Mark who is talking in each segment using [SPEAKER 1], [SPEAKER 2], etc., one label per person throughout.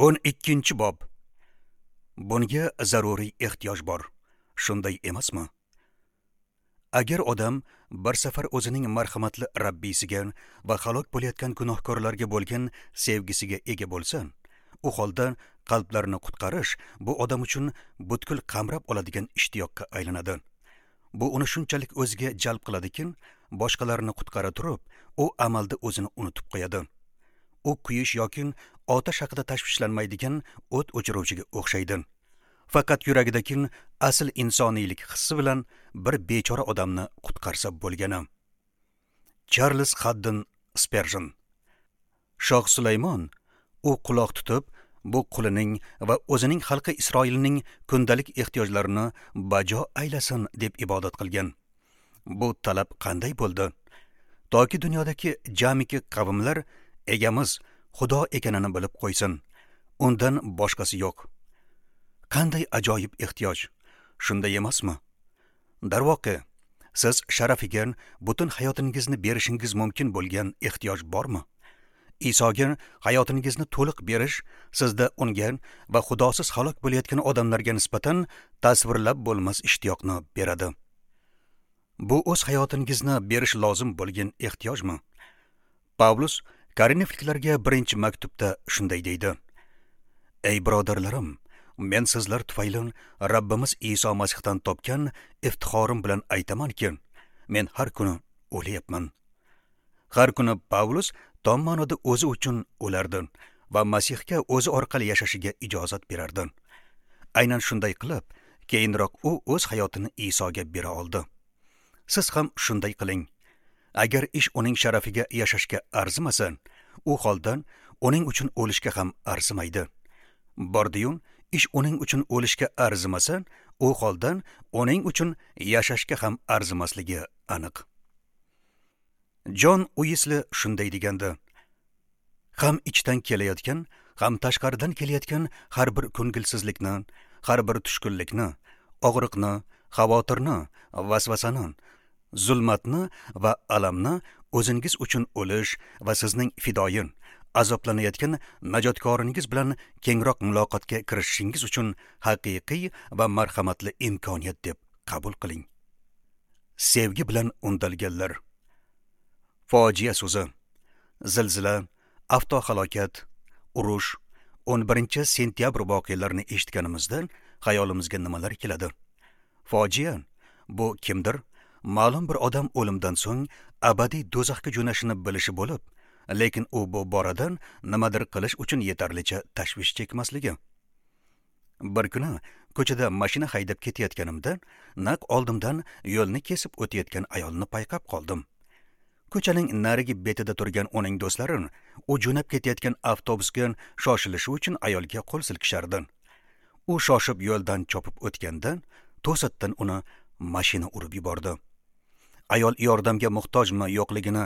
[SPEAKER 1] 12-bob. Bunga zaruriy ehtiyoj bor. Shunday emasmi? Agar odam bir safar o'zining marhamatli Rabbisiga va halok bo'layotgan gunohkorlarga bo'lgan sevgisiga ega bo'lsa, u holda qalblarni qutqarish bu odam uchun butkul qamrab oladigan ishtiyoqqa aylanadi. Bu uni shunchalik o'ziga jalb qiladiki, boshqalarni qutqara turib, u amalda o'zini unutib qo'yadi. U kuyish yoki otash haqida tashvishlanmaydigan o't o'chiruvchiga o'xshaydi. Faqat yuragidagi asl insoniylik hissi bilan bir bechora odamni qutqarsa bo'lgani. Charles Haddon Sperjon. Shoh Sulaymon u quloq tutib, bu qulining va o'zining xalqi Isroilning kundalik ehtiyojlarini bajo aylasin deb ibodat qilgan. Bu talab qanday bo'ldi? Toki dunyodagi jamiki qavmlar egamiz Xudo ekanini bilib qo'ysin. Undan boshqasi yo'q. Qanday ajoyib ehtiyoj, shunday emasmi? Darvoqe, siz sharafiga butun hayotingizni berishingiz mumkin bo'lgan ehtiyoj bormi? Isoga hayotingizni to'liq berish sizda unga va Xudosiz halok bo'layotgan odamlarga nisbatan tasvirlab bo'lmas ishtiyoqni beradi. Bu o'z hayotingizni berish lozim bo'lgan ehtiyojmi? Pavlus Korinfliklarga 1-maktubda shunday deydi: Ey birodarlarim, men sizlar tufayli Rabbimiz Iso Masihdan topgan iftixorim bilan aytamanki, men har kuni o'layapman. Har kuni Pavlus tom ma'noda o'zi uchun o'lardi va Masihga o'zi orqali yashashiga ijozat berardi. Aynan shunday qilib, keyinroq u o'z hayotini Isoga bera oldi. Siz ham shunday qiling. Agar ish uning sharafiga yashashga arzimasa, u holdan uning uchun o'lishga ham arzimaydi. Bordi-yu, ish uning uchun o'lishga arzimasa, u holdan uning uchun yashashga ham arzimasligi aniq. Jon Uisli shunday degandi: Ham ichdan kelayotgan, ham tashqaridan kelayotgan har bir ko'ngilsizlikni, har bir tushkunlikni, og'riqni, xavotirni, vasvasani, zulmatni va alamni o'zingiz uchun o'lish va sizning fidoyin, azoblanayotgan najotkoringiz bilan kengroq muloqotga kirishishingiz uchun haqiqiy va marhamatli imkoniyat deb qabul qiling. Sevgi bilan undalganlar. Fojia so'zi, zilzila, avtohalokat, urush, 11 sentyabr voqealarini eshitganimizda xayolimizga nimalar keladi? Fojia bu kimdir ma'lum bir odam o'limdan so'ng abadiy do'zaxga jo'nashini bilishi bo'lib, lekin u bu boradan nimadir qilish uchun yetarlicha tashvish chekmasligi. Bir kuni ko'chada mashina haydab ketayotganimda naq oldimdan yo'lni kesib o'tayotgan ayolni payqab qoldim. Ko'chaning narigi betida turgan uning do'stlari u jo'nab ketayotgan avtobusga shoshilishi uchun ayolga qo'l silkishardi. U shoshib yo'ldan chopib o'tganda to'satdan uni mashina urib yubordi. Ayol yordamga muhtojmi yo'qligini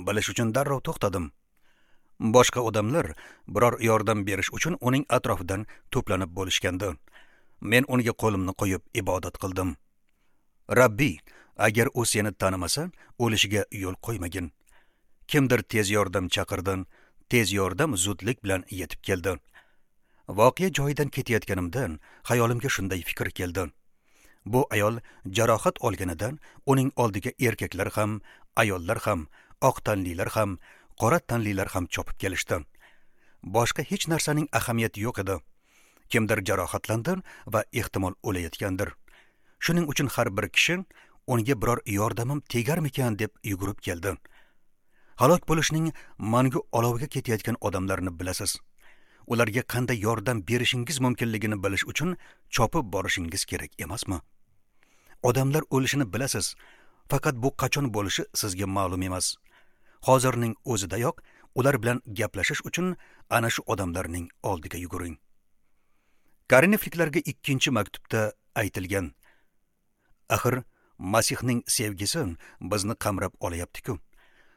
[SPEAKER 1] bilish uchun darrov to'xtadim. Boshqa odamlar biror yordam berish uchun uning atrofidan to'planib bo'lishgandi. Men unga qo'limni qo'yib ibodat qildim. Rabbi, agar u seni tanimasa, o'lishiga yo'l qo'ymagin. Kimdir tez yordam chaqirdi. Tez yordam zudlik bilan yetib keldi. Voqea joyidan ketayotganimdan xayolimga shunday fikr keldi. Bu ayol jarohat olganidan uning oldiga erkaklar ham, ayollar ham, oq tanlilar ham, qora tanlilar ham chopib kelishdi. Boshqa hech narsaning ahamiyati yo'q edi. Kimdir jarohatlandi va ehtimol o'layotgandir. Shuning uchun har bir kishi unga biror yordamim tegarmikan deb yugurib keldi. Halok bo'lishning mangu oloviga ketayotgan odamlarni bilasiz. Ularga qanday yordam berishingiz mumkinligini bilish uchun chopib borishingiz kerak emasmi? Odamlar o'lishini bilasiz, faqat bu qachon bo'lishi sizga ma'lum emas. Hozirning o'zidayoq ular bilan gaplashish uchun ana shu odamlarning oldiga yuguring. Korinfliklarga 2-maktubda aytilgan: Axir Masihning sevgisi bizni qamrab olayapti-ku.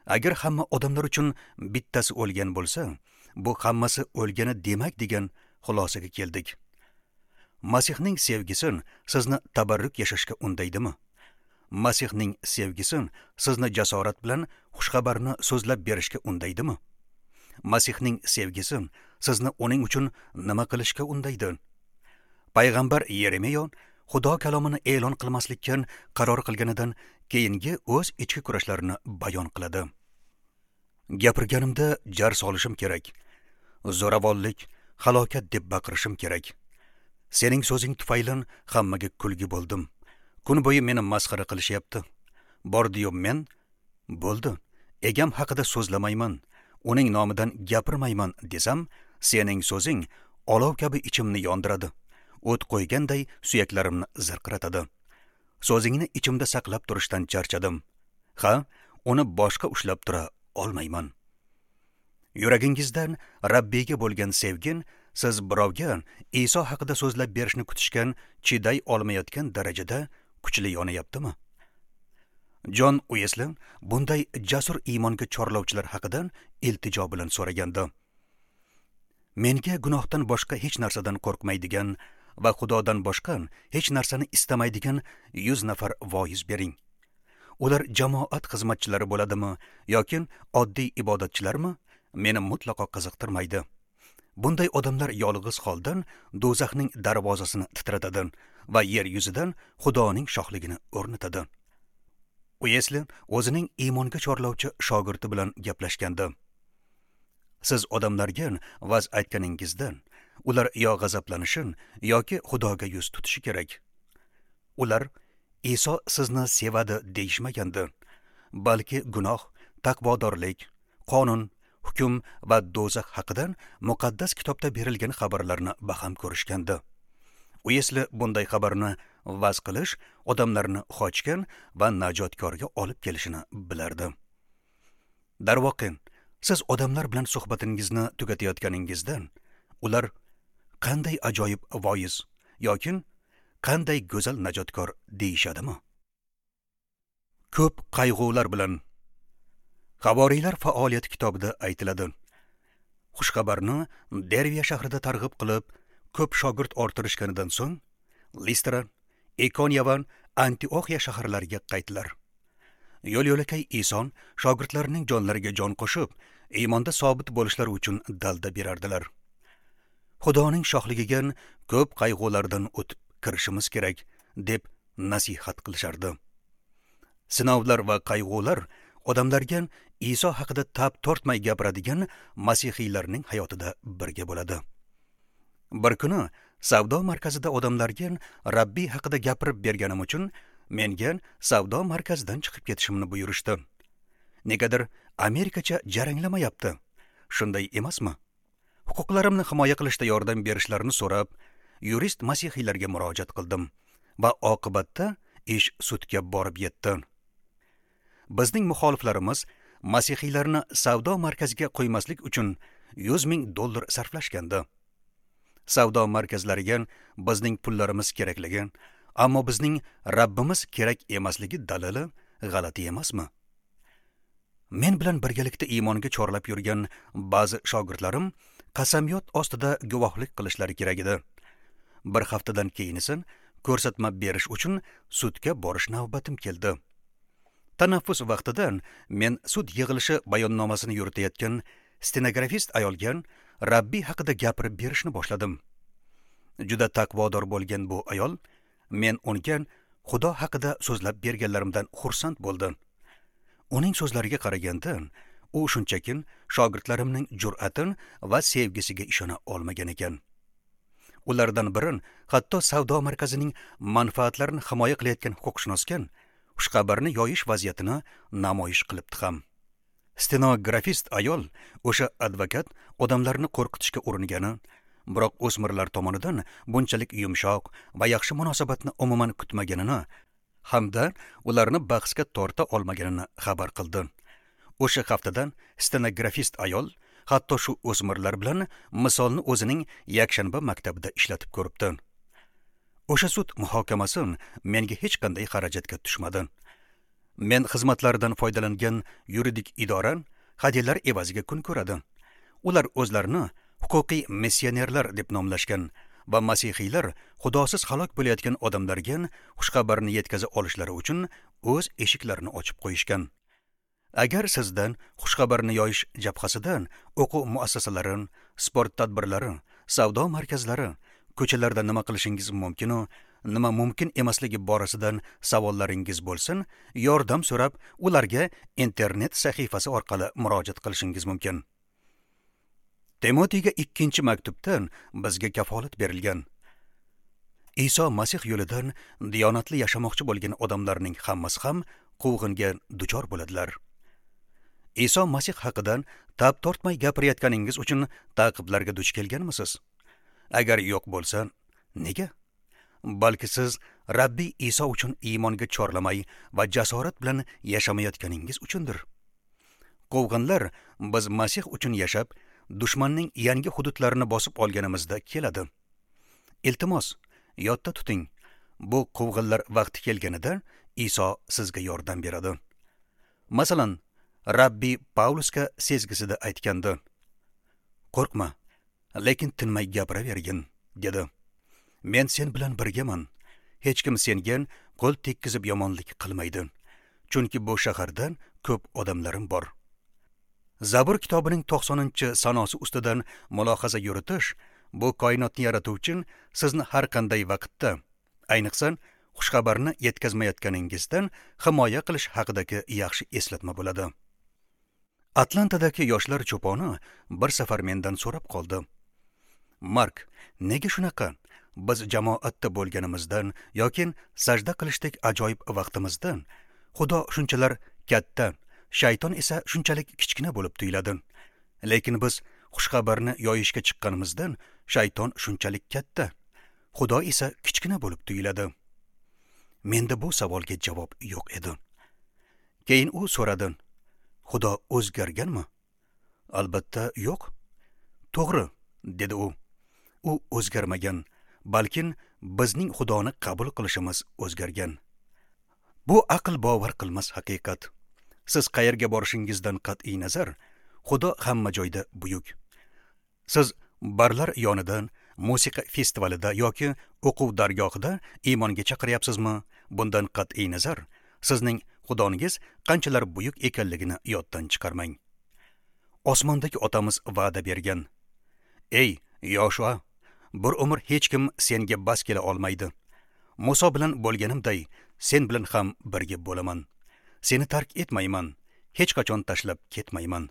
[SPEAKER 1] Agar hamma odamlar uchun bittasi o'lgan bo'lsa, bu hammasi o'lgani demak degan xulosaga keldik. Masihning sevgisi sizni tabarruk yashashga undaydimi? Masihning sevgisi sizni jasorat bilan xushxabarni so'zlab berishga undaydimi? Masihning sevgisi sizni uning uchun nima qilishga undaydi? Payg'ambar Yeremiyo Xudo kalomini e'lon qilmaslikka qaror qilganidan keyingi o'z ichki kurashlarini bayon qiladi. Gapirganimda jar solishim kerak. Zo'ravonlik, halokat deb baqirishim kerak. Sening so'zing tufayli hammaga kulgi bo'ldim. Kun bo'yi meni masxara qilishyapti. Bordi-yu men bo'ldi. Egam haqida so'zlamayman, uning nomidan gapirmayman desam, sening so'zing olov kabi ichimni yondiradi. O't qo'yganday suyaklarimni zirqiratadi. So'zingni ichimda saqlab turishdan charchadim. Ha, uni boshqa ushlab tura olmayman. Yuragingizdan Rabbiyga bo'lgan sevgin siz birovga Iso haqida so'zlab berishni kutishgan chiday olmayotgan darajada kuchli yonayaptimi? Jon Uesli bunday jasur iymonga chorlovchilar haqida iltijo bilan so'ragandi. Menga gunohdan boshqa hech narsadan qo'rqmaydigan va Xudodan boshqa hech narsani istamaydigan 100 nafar voiz bering. Ular jamoat xizmatchilari bo'ladimi yoki oddiy ibodatchilarmi, meni mutlaqo qiziqtirmaydi. Bunday odamlar yolg'iz holdan do'zaxning darvozasini titratadi va yer yuzidan Xudoning shohligini o'rnatadi. Uesli o'zining iymonga chorlovchi shogirdi bilan gaplashgandi. Siz odamlarga vaz aytganingizdan ular yo g'azablanishin yoki Xudoga yuz tutishi kerak. Ular Iso sizni sevadi deyishmagandi, balki gunoh, taqvodorlik, qonun, hukm va do'zax haqida muqaddas kitobda berilgan xabarlarni baham ko'rishgandi. Uesli bunday xabarni vaz qilish odamlarni xochgan va najotkorga olib kelishini bilardi. Darvoqe, siz odamlar bilan suhbatingizni tugatayotganingizdan ular qanday ajoyib voiz yoki qanday go'zal najotkor deyishadimi? Ko'p qayg'ular bilan Havoriylar faoliyati kitobida aytiladi. Xushxabarni Derviya shahrida targ'ib qilib, ko'p shogird orttirishganidan so'ng Listra, Ikoniya va Antioxiya shaharlariga qaytdilar. Yo'l-yo'lakay Iso shogirdlarining jonlariga jon qo'shib, iymonda sobit bo'lishlari uchun dalda berardilar. Xudoning shohligiga ko'p qayg'ulardan o'tib kirishimiz kerak, deb nasihat qilishardi. Sinovlar va qayg'ular odamlarga Iso haqida tab tortmay gapiradigan masihiylarning hayotida birga bo'ladi. Bir kuni savdo markazida odamlarga Rabbiy haqida gapirib berganim uchun menga savdo markazidan chiqib ketishimni buyurishdi. Negadir Amerikacha jaranglamayapti. Shunday emasmi? Huquqlarimni himoya qilishda yordam berishlarini so'rab, yurist masihiylarga murojaat qildim va oqibatda ish sudga borib yetdi. Bizning muxoliflarimiz masihiylarni savdo markaziga qo'ymaslik uchun $100,000 sarflashgandi. Savdo markazlariga bizning pullarimiz kerakligi, ammo bizning Rabbimiz kerak emasligi dalili g'alati emasmi? Men bilan birgalikda iymonga chorlab yurgan ba'zi shogirdlarim qasamyod ostida guvohlik qilishlari kerak edi. Bir haftadan keyin esa ko'rsatma berish uchun sudga borish navbatim keldi. Tanaffus vaqtida men sud yig'ilishi bayonnomasini yuritayotgan stenografist ayolga Rabbiy haqida gapirib berishni boshladim. Juda taqvodor bo'lgan bu ayol men unga Xudo haqida so'zlab berganlarimdan xursand bo'ldi. Uning so'zlariga qaraganda, u shunchaki shogirdlarimning jur'ati va sevgisiga ishona olmagan ekan. Ulardan biri hatto savdo markazining manfaatlarini himoya qilayotgan huquqshunosga xushxabarni yoyish vaziyatini namoyish qilibdi ham. Stenografist ayol o'sha advokat odamlarni qo'rqitishga uringani, biroq o'smirlar tomonidan bunchalik yumshoq va yaxshi munosabatni umuman kutmaganini hamda ularni bahsga torta olmaganini xabar qildi. O'sha haftadan stenografist ayol hatto shu o'smirlar bilan misolni o'zining yakshanba maktabida ishlatib ko'ribdi. O'sha sud muhokamasi menga hech qanday xarajatga tushmadi. Men xizmatlaridan foydalangan yuridik idora hadyalar evaziga kun ko'radi. Ular o'zlarini huquqiy missionerlar deb nomlashgan va masihiylar xudosiz halok bo'layotgan odamlarga xushxabarni yetkaza olishlari uchun o'z eshiklarini ochib qo'yishgan. Agar sizdan xushxabarni yoyish jabhasidan o'quv muassasalari, sport tadbirlari, savdo markazlari, ko'chalarda nima qilishingiz mumkin u nima mumkin emasligi borasidan savollaringiz bo'lsin, yordam so'rab ularga internet sahifasi orqali murojaat qilishingiz mumkin. Timotiyga 2 maktubdan bizga kafolat berilgan. Iso Masih yo'lidan diyonatli yashamoqchi bo'lgan odamlarning hammasi ham quvg'inga duchor bo'ladilar. Iso Masih haqidan tab tortmay gapirayotganingiz uchun ta'qiblarga duch kelganmisiz? Agar yo'q bo'lsa, nega? Balki siz Rabbiy Iso uchun iymonga chorlamay va jasorat bilan yashamayotganingiz uchundir. Quvg'inlar biz Masih uchun yashab, dushmanning yangi hududlarini bosib olganimizda keladi. Iltimos, yodda tuting, bu quvg'inlar vaqti kelganida Iso sizga yordam beradi. Masalan, Rabbiy Pavlusga sezgisida aytgandi: "Qo'rqma, lekin tinmay gapiravergin", dedi. "Men sen bilan birgaman. Hech kim senga qo'l tekkizib yomonlik qilmaydi, chunki bu shahardan ko'p odamlarim bor." Zabur kitobining 90-sanosi ustidan mulohaza yuritish bu koinotni yaratuvchi sizni har qanday vaqtda, ayniqsa xushxabarni yetkazmayotganingizdan himoya qilish haqidagi yaxshi eslatma bo'ladi. Atlantadagi yoshlar cho'poni bir safar mendan so'rab qoldi: "Mark, nega shunaqa? Biz jamoatda bo'lganimizdan yoki sajda qilishdek ajoyib vaqtimizdan Xudo shunchalar katta, shayton esa shunchalik kichkina bo'lib tuyuladi. Lekin biz xushxabarni yoyishga chiqqanimizdan shayton shunchalik katta, Xudo esa kichkina bo'lib tuyuladi." Menda bu savolga javob yo'q edi. Keyin u so'radi: "Xudo o'zgarganmi?" "Albatta yo'q." "To'g'ri", dedi u. "U o'zgarmagan, balkin bizning Xudoni qabul qilishimiz o'zgargan." Bu aql bovar qilmas haqiqat. Siz qayerga borishingizdan qat'iy nazar, Xudo hamma joyda buyuk. Siz barlar yonidan, musiqa festivalida yoki o'quv dargohida iymonga chaqiryapsizmi? Bundan qat'iy nazar, sizning Xudongiz qanchalar buyuk ekanligini yoddan chiqarmang. Osmondagi otamiz va'da bergan: "Ey Yoshua, bir umr hech kim senga bas kela olmaydi. Muso bilan bo'lganimday, sen bilan ham birga bo'laman. Seni tark etmayman, hech qachon tashlab ketmayman."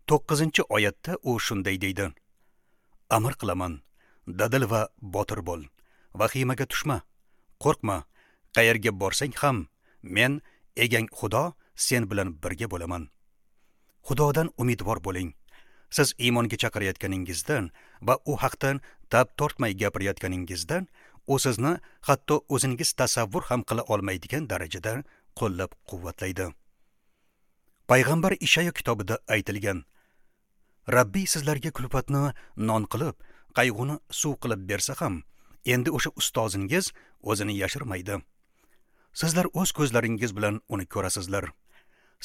[SPEAKER 1] 9-oyatda u shunday deydi: "Amr qilaman, dadil va botir bo'l, vahimaga tushma, qo'rqma, qayerga borsang ham men, egang Xudo, sen bilan birga bo'laman." Xudodan umidvor bo'ling. Siz iymonga chaqirayotganingizdan va u haqdan tab tortmay gapirayotganingizdan u sizni hatto o'zingiz tasavvur ham qila olmaydigan darajada qo'llab-quvvatlaydi. Payg'ambar Ishayo kitobida aytilgan: "Rabbiy sizlarga kulfatni non qilib, qayg'uni suv qilib bersa ham, endi o'sha ustozingiz o'zini yashirmaydi. Sizlar o'z ko'zlaringiz bilan uni ko'rasizlar.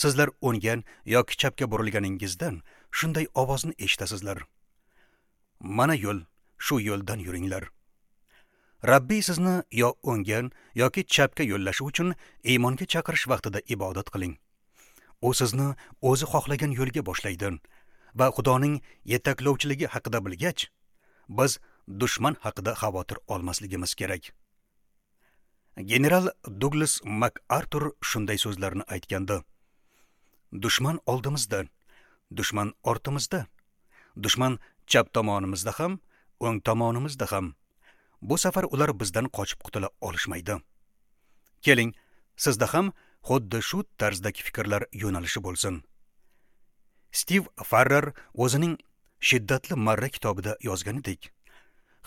[SPEAKER 1] Sizlar o'nggan yoki chapga burilganingizdan shunday ovozni eshitasizlar. Mana yo'l, shu yo'ldan yuringlar." Rabbiy sizni yo o'nggan yoki chapga yo'llashi uchun iymonga chaqirish vaqtida ibodat qiling. U sizni o'zi xohlagan yo'lga boshlaydi va Xudoning yetaklovchiligi haqida bilgach, biz dushman haqida xavotir olmasligimiz kerak. General Douglas MacArthur shunday so'zlarni aytgandi: "Dushman oldimizda, dushman ortimizda, dushman chap tomonimizda ham, o'ng tomonimizda ham. Bu safar ular bizdan qochib qutula olishmaydi." Keling, sizda ham xuddi shu tarzdagi fikrlar yo'nalishi bo'lsin. Stiv Farrar o'zining Shiddatli marra kitobida yozganidek,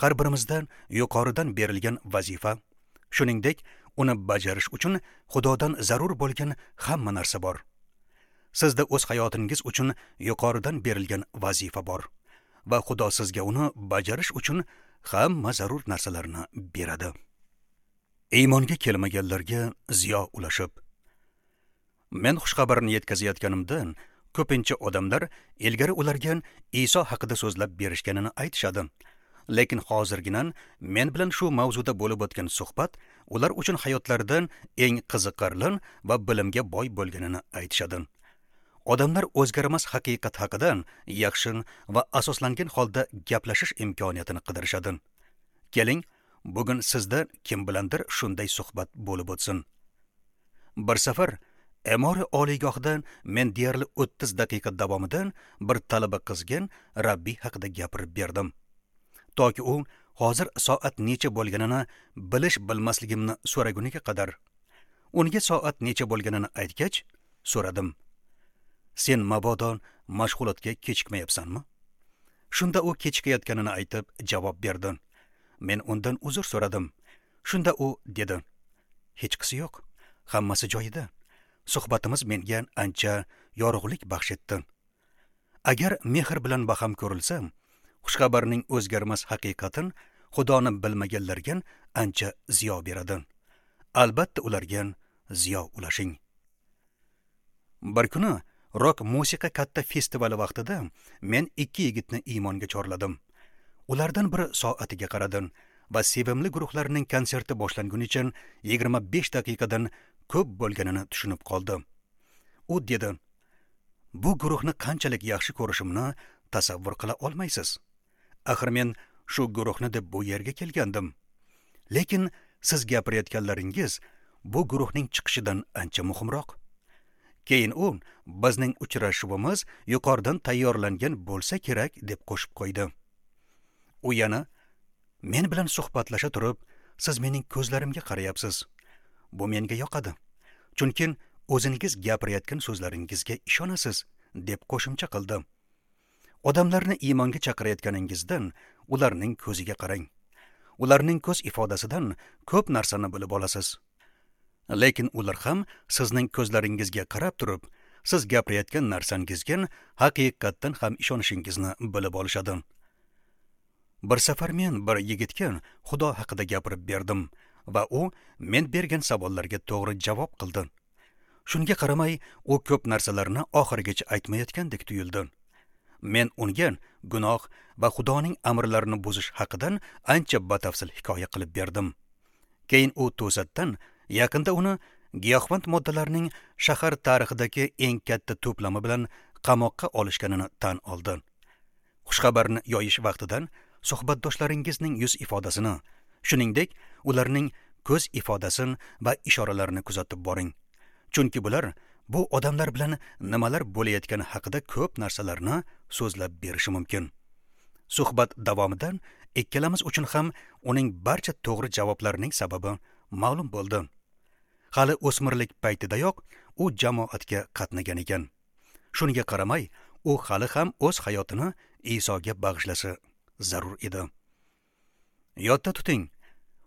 [SPEAKER 1] har birimizdan yuqoridan berilgan vazifa, shuningdek, uni bajarish uchun Xudodan zarur bo'lgan hamma narsa bor. Sizda o'z hayotingiz uchun yuqoridan berilgan vazifa bor va Xudo sizga uni bajarish uchun hamma zarur narsalarni beradi. Iymonga kelmaganlarga ziyo ulashib. Men xushxabarni yetkazayotganimdan ko'pincha odamlar ilgari ularga Iso haqida so'zlab berishganini aytishadi. Lekin hozirgina men bilan shu mavzuda bo'lib o'tgan suhbat ular uchun hayotlaridan eng qiziqarli va bilimga boy bo'lganini aytishadi. Odamlar o'zgarmas haqiqat haqida yaxshi va asoslangan holda gaplashish imkoniyatini qidirishadi. Keling, bugun sizda kim bilandir shunday suhbat bo'lib o'tsin. Bir safar Emori oliygohidan men deyarli 30 daqiqa davomida bir talaba qizga Rabbiy haqida gapirib berdim. Toki u hozir soat necha bo'lganini bilish bilmasligimni so'raguniga qadar. Unga soat necha bo'lganini aytgach, so'radim. Sen mabodo mashg'ulotga kechikmayapsanmi? Shunda u kechikayotganini aytib javob berdi. Men undan uzr so'radim. Shunda u dedi: "Hechqisi yo'q, hammasi joyida. Suhbatimiz menga ancha yorug'lik baxsh etdi. Agar mehr bilan baham ko'rilsa, xushxabarning o'zgarmas haqiqatin Xudoni bilmaganlarga ancha ziyo beradi. Albatta ularga ziyo ulashing." Bir kuni rok musiqa katta festivali vaqtida men ikki yigitni iymonga chorladim. Ulardan biri soatiga qaradi va sevimli guruhlarning konserti boshlangunicha 25 daqiqadan ko'p bo'lganini tushunib qoldi. U dedi: "Bu guruhni qanchalik yaxshi ko'rishimni tasavvur qila olmaysiz. Axir men shu guruhni deb bu yerga kelgandim. Lekin siz gapirayotganlaringiz bu guruhning chiqishidan ancha muhimroq." Keyin u bizning uchrashuvimiz yuqoridan tayyorlangan bo'lsa kerak deb qo'shib qo'ydi. U yana: "Men bilan suhbatlasha turib, siz mening ko'zlarimga qarayapsiz. Bu menga yoqadi. Chunki o'zingiz gapirayotgan so'zlaringizga ishonasiz" deb qo'shimcha qildi. Odamlarni iymonga chaqirayotganingizdan ularning ko'ziga qarang. Ularning ko'z ifodasidan ko'p narsani bilib olasiz. Lekin ular ham sizning ko'zlaringizga qarab turib, siz gapirayotgan narsangizga haqiqatdan ham ishonishingizni bilib olishadi. Bir safar men bir yigitga Xudo haqida gapirib berdim va u men bergan savollarga to'g'ri javob qildi. Shunga qaramay, u ko'p narsalarni oxirigacha aytmayotgandek tuyuldi. Men unga gunoh va Xudoning amrlarini buzish haqidan ancha batafsil hikoya qilib berdim. Keyin u to'satdan yaqinda uni giyohvand moddalarning shahar tarixidagi eng katta to'plami bilan qamoqqa olishganini tan oldi. Xushxabarni yoyish vaqtidan suhbatdoshlaringizning yuz ifodasini, shuningdek, ularning ko'z ifodasini va ishoralarini kuzatib boring. Chunki bular bu odamlar bilan nimalar bo'layotgani haqida ko'p narsalarni so'zlab berishi mumkin. Suhbat davomidan ikkalamiz uchun ham uning barcha to'g'ri javoblarining sababi ma'lum bo'ldi. Hali o'smirlik paytidayoq u jamoatga qatnagan ekan. Shunga qaramay, u hali ham o'z hayotini Isoga bag'ishlashi zarur edi. Yodda tuting,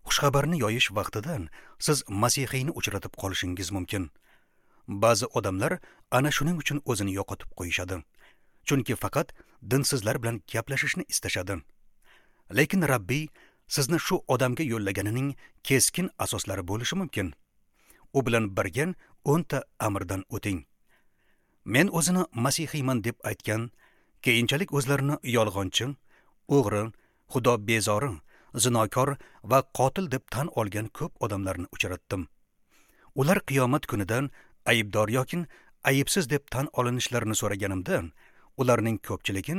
[SPEAKER 1] xushxabarni yoyish vaqtidan siz masihiyni uchratib qolishingiz mumkin. Ba'zi odamlar ana shuning uchun o'zini yo'qotib qo'yishadi. Chunki faqat dinsizlar bilan gaplashishni istashadi. Lekin Rabbiy sizni shu odamga yo'llaganining keskin asoslari bo'lishi mumkin. U bilan birga 10 ta amrdan o'ting. Men o'zini masihiyman deb aytgan, keyinchalik o'zlarini yolg'onchi, o'g'ri, xudo bezori, zinokor va qotil deb tan olgan ko'p odamlarni uchratdim. Ular qiyomat kunidan aybdor yoki aybsiz deb tan olinishlarini so'raganimda, ularning ko'pchiligi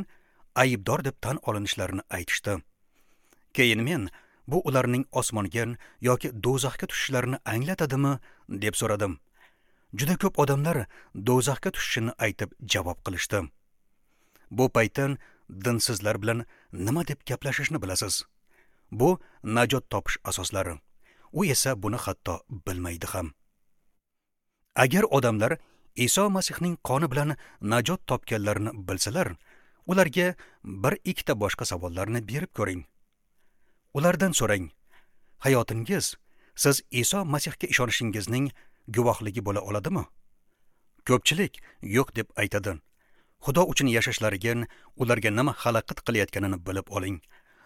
[SPEAKER 1] aybdor deb tan olinishlarini aytishdi. Keyin men bu ularning osmonga yoki do'zaxga tushishlarini anglatadimi deb so'radim. Juda ko'p odamlar do'zaxga tushishini aytib javob qilishdi. Bu paytdan dinsizlar bilan nima deb gaplashishni bilasiz. Bu najot topish asoslari. U esa buni hatto bilmaydi ham. Agar odamlar Iso Masihning qoni bilan najot topganlarini bilsalar, ularga bir ikkita boshqa savollarni berib ko'ring. Ulardan so'rang: hayotingiz siz Iso Masihga ishonishingizning guvohligi bo'la oladimi? Ko'pchilik yo'q deb aytadi. Xudo uchun yashashlariga ularga nima xalaqit qilayotganini bilib oling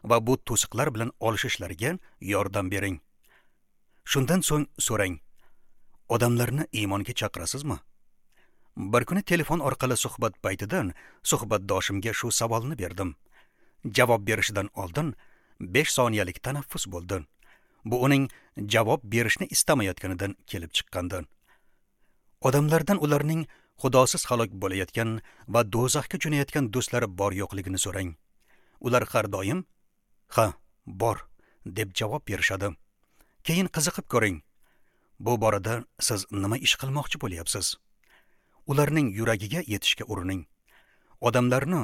[SPEAKER 1] va bu to'siqlar bilan olishishlariga yordam bering. Shundan so'ng so'rang: odamlarni iymonga chaqirasizmi? Bir kuni telefon orqali suhbat paytidan suhbatdoshimga shu savolni berdim. Javob berishidan oldin 5 soniyalik tanaffus bo'ldi. Bu uning javob berishni istamayotganidan kelib chiqqandi. Odamlardan ularning xudosiz halok bo'layotgan va do'zaxga jo'nayotgan do'stlari bor yo'qligini so'rang. Ular har doim "Ha, bor" deb javob berishadi. Keyin qiziqib ko'ring. Bu borada siz nima ish qilmoqchi bo'lyapsiz? Ularning yuragiga yetishga urining. Odamlarni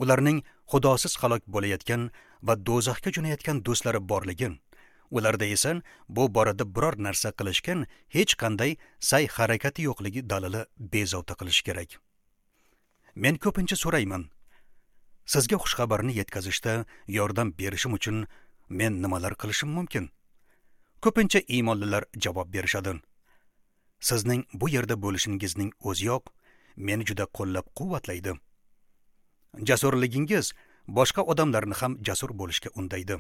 [SPEAKER 1] ularning xudosiz halok bo'layotgan va do'zaxga jo'nayotgan do'stlari borligi, ularda esa bu borada biror narsa qilishgan hech qanday sa'y harakati yo'qligi dalili bezovta qilish kerak. Men ko'pincha so'rayman: sizga xushxabarni yetkazishda yordam berishim uchun men nimalar qilishim mumkin? Ko'pincha iymonlilar javob berishadi: sizning bu yerda bo'lishingizning o'ziyoq meni juda qo'llab-quvvatlaydi. Jasurligingiz boshqa odamlarni ham jasur bo'lishga undaydi.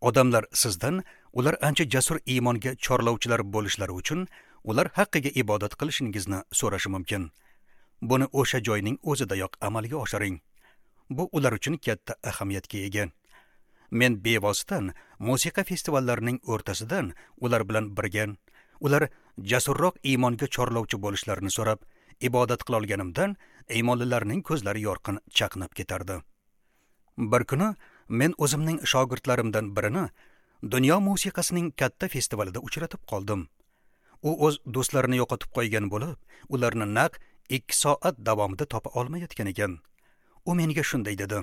[SPEAKER 1] Odamlar sizdan ular ancha jasur iymonga chorlovchilar bo'lishlari uchun ular haqqiga ibodat qilishingizni so'rashi mumkin. Buni o'sha joyning o'zidayoq amalga oshiring. Bu ular uchun katta ahamiyatga ega. Men bevosita musiqa festivallarining o'rtasidan ular bilan birga ular jasurroq iymonga chorlovchi bo'lishlarini so'rab ibodat qila olganimdan iymonlilarning ko'zlari yorqin chaqnab ketardi. Bir kuni men o'zimning shogirdlarimdan birini dunyo musiqasining katta festivalida uchratib qoldim. U o'z do'stlarini yo'qotib qo'ygan bo'lib, ularni naq 2 soat davomida topa olmayotgan ekan. U menga shunday dedi: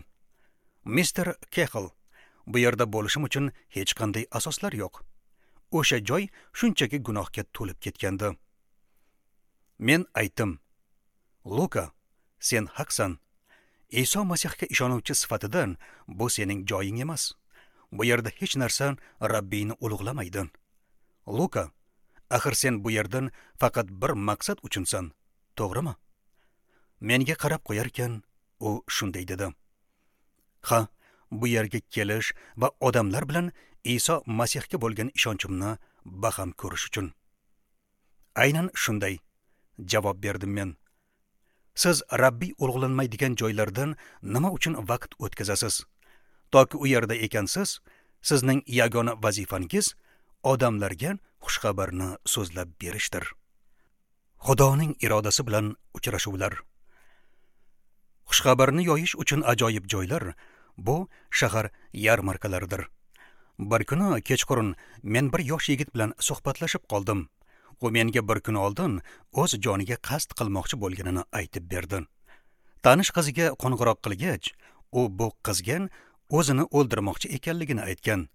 [SPEAKER 1] "Mister Kexl, bu yerda bo'lishim uchun hech qanday asoslar yo'q. O'sha joy shunchaki gunohga to'lib ketgandi." Men aytdim: "Luka, sen haqsan. Iso Masihga ishonuvchi sifatidan bu sening joying emas. Bu yerda hech narsa Rabbiyni ulug'lamaydi. Luka, axir sen bu yerdan faqat bir maqsad uchunsan, to'g'rimi?" Menga qarab qo'yarkan, u shunday dedi: "Ha, bu yerga kelish va odamlar bilan Iso Masihga bo'lgan ishonchimni baham ko'rish uchun." Aynan shunday javob berdim men. Siz Rabbiy ulug'lanmaydigan joylardan nima uchun vaqt o'tkazasiz? Toki u yerda ekansiz, sizning yagona vazifangiz odamlarga xushxabarni so'zlab berishdir. Xudoning irodasi bilan uchrashuvlar. Xushxabarni yoyish uchun ajoyib joylar bu shahar yarmarkalaridir. Bir kuni kechqurun men bir yosh yigit bilan suhbatlashib qoldim. U menga bir kun oldin o'z joniga qasd qilmoqchi bo'lganini aytib berdi. Tanish qiziga qo'ng'iroq qilgach, u bu qizga o'zini o'ldirmoqchi ekanligini aytgan.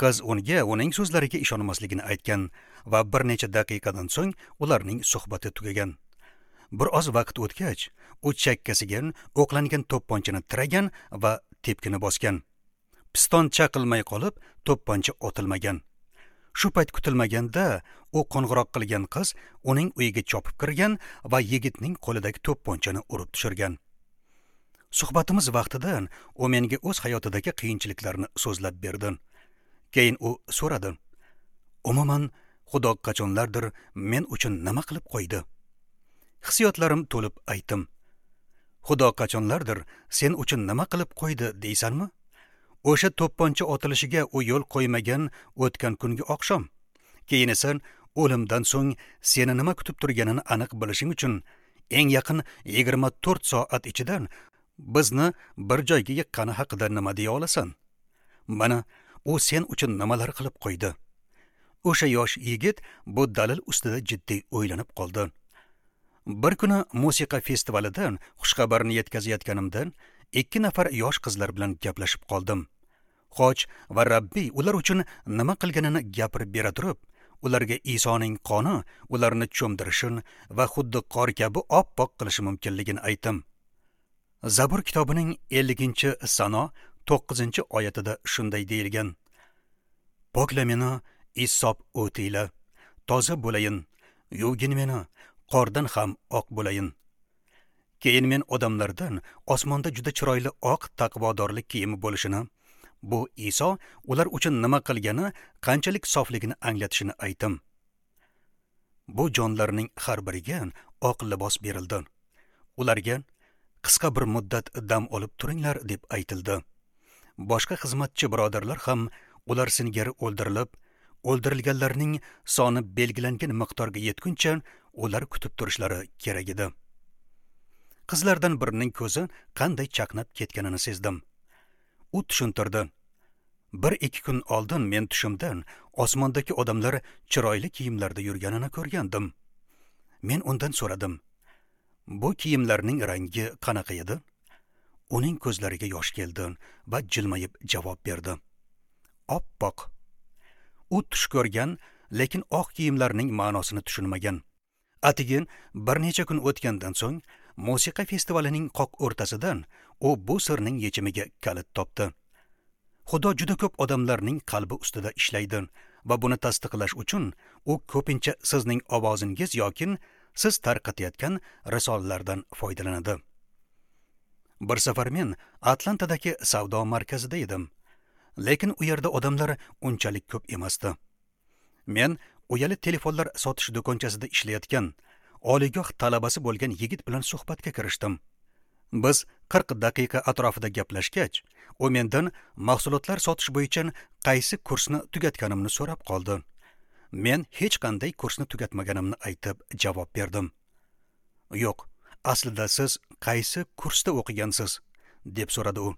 [SPEAKER 1] Qiz unga uning so'zlariga ishonmasligini aytgan va bir necha daqiqadan so'ng ularning suhbati tugagan. Bir oz vaqt o'tgach, u chakkasiga o'qlangan to'pponchani tiragan va tepkini bosgan. Piston chaqilmay qolib, to'pponcha otilmagan. Shu payt kutilmaganda u qo'ng'iroq qilgan qiz uning uyiga chopib kirgan va yigitning qo'lidagi to'pponchani urib tushirgan. Suhbatimiz vaqtida u menga o'z hayotidagi qiyinchiliklarni so'zlab berdi. Keyin u so'radi: "Umuman, Xudo qachonlardir men uchun nima qilib qo'ydi?" Hissiyotlarim to'lib aytdim: "Xudo qachonlardir sen uchun nima qilib qo'ydi deysanmi? O'sha to'pponcha otilishiga u yo'l qo'ymagan o'tgan kungi oqshom. Keyin esa o'limdan so'ng seni nima kutib turganini aniq bilishing uchun eng yaqin 24 soat ichidan bizni bir joyga yiqqani haqida nima deya olasan? Mana u sen uchun nimalar qilib qo'ydi." O'sha yosh yigit bu dalil ustida jiddiy o'ylanib qoldi. Bir kuni musiqa festivalidan xushxabarni yetkazayotganimdan 2 nafar yosh qizlar bilan gaplashib qoldim. Xoch va Rabbiy ular uchun nima qilganini gapirib bera turib, ularga Isoning qoni ularni cho'mdirishini va xuddi qor kabi oppoq qilishi mumkinligini aytdim. Zabur kitobining 50-sano 9-oyatida shunday deyilgan: "Pokla meni issob o'tiyla, toza bo'layin, yuvgin meni, qordan ham oq bo'layin." Keyin men odamlardan osmonda juda chiroyli oq taqvodorlik kiyimi bo'lishini, bu Iso ular uchun nima qilgani qanchalik sofligini anglatishini aytdim. Bu jonlarning har biriga oq libos berildi. Ularga qisqa bir muddat dam olib turinglar deb aytildi. Boshqa xizmatchi birodarlar ham ular singari o'ldirilib, o'ldirilganlarning soni belgilangan miqdorga yetguncha ular kutib turishlari kerak edi. Qizlardan birining ko'zi qanday chaqnab ketganini sezdim. U tushuntirdi. 1-2 kun oldin men tushimdan osmondagi odamlar chiroyli kiyimlarda yurganini ko'rgandim. Men undan so'radim. Bu kiyimlarning rangi qanaqa edi? Uning ko'zlariga yosh keldi va jilmayib javob berdi. Oppoq. U tush ko'rgan, lekin oq kiyimlarning ma'nosini tushunmagan. Atigin bir necha kun o'tgandan so'ng musiqa festivalining qoq o'rtasidan u bu sirning yechimiga kalit topdi. Xudo juda ko'p odamlarning qalbi ustida ishlaydi va buni tasdiqlash uchun u ko'pincha sizning ovozingiz yoki siz tarqatayotgan risolalardan foydalanadi. Bir safar men Atlantadagi savdo markazida edim, lekin u yerda odamlar unchalik ko'p emasdi. Men uyali telefonlar sotish do'konchasida ishlayotgan oliygoh talabasi bo'lgan yigit bilan suhbatga kirishdim. Biz 40 daqiqa atrofida gaplashgach, u mendan mahsulotlar sotish bo'yicha qaysi kursni tugatganimni so'rab qoldi. Men hech qanday kursni tugatmaganimni aytib javob berdim. Yo'q, aslida siz qaysi kursda o'qigansiz? Deb so'radi u.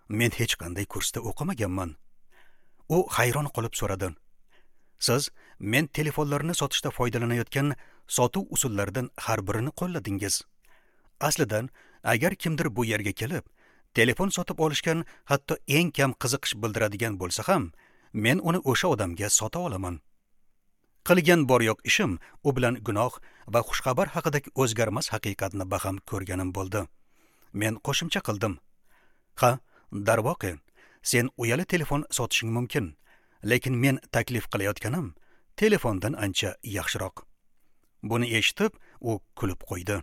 [SPEAKER 1] Men hech qanday kursda o'qimaganman. U hayron qolib so'radi. Siz men telefonlarni sotishda foydalanayotgan sotuv usullaridan har birini qo'lladingiz. Aslidan, agar kimdir bu yerga kelib, telefon sotib olishgan hatto eng kam qiziqish bildiradigan bo'lsa ham, men uni o'sha odamga sota olaman. Qilgan bor yo'q ishim u bilan gunoh va xushxabar haqidagi o'zgarmas haqiqatni baham ko'rganim bo'ldi. Men qo'shimcha qildim. Ha, darvoqe, sen uyali telefon sotishing mumkin, lekin men taklif qilayotganim telefondan ancha yaxshiroq. Buni eshitib, u kulib qo'ydi.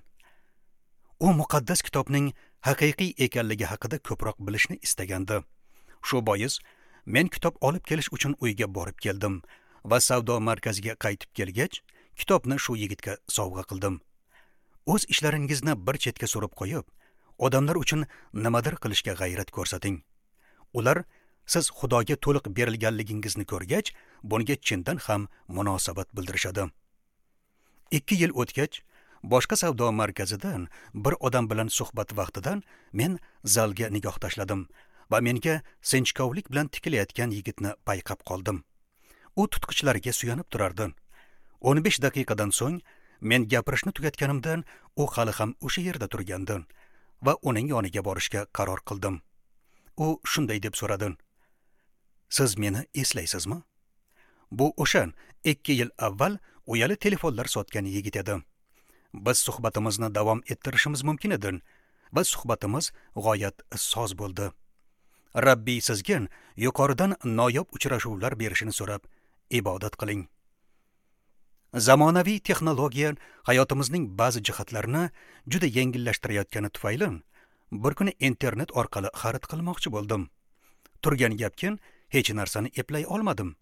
[SPEAKER 1] U muqaddas kitobning haqiqiy ekanligi haqida ko'proq bilishni istagandi. Shu bois men kitob olib kelish uchun uyga borib keldim va savdo markaziga qaytib kelgach, kitobni shu yigitga sovg'a qildim. O'z ishlaringizni bir chetga surib qo'yib, odamlar uchun nimadir qilishga g'ayrat ko'rsating. Ular siz Xudoga to'liq berilganligingizni ko'rgach, bunga chindan ham munosabat bildirishadi. 2 yil o'tgach, boshqa savdo markazidan bir odam bilan suhbat vaqtidan men zalga nigoh tashladim va menga sinchkovlik bilan tikilayotgan yigitni payqab qoldim. U tutqichlariga suyanib turardi. 15 daqiqadan so'ng men gapirishni tugatganimdan u hali ham o'sha yerda turgandi va uning yoniga borishga qaror qildim. U shunday deb so'radi: "Siz meni eslaysizmi?" Bu o'sha 2 yil avval uyali telefonlar sotgan yigit edi. Biz suhbatimizni davom ettirishimiz mumkin edi va suhbatimiz g'oyat soz bo'ldi. Rabbiy sizga yuqoridan noyob uchrashuvlar berishini so'rab ibodat qiling. Zamonaviy texnologiya hayotimizning ba'zi jihatlarini juda yengillashtirayotgani tufayli bir kuni internet orqali xarid qilmoqchi bo'ldim. Turgan gapkin hech narsani eplay olmadim.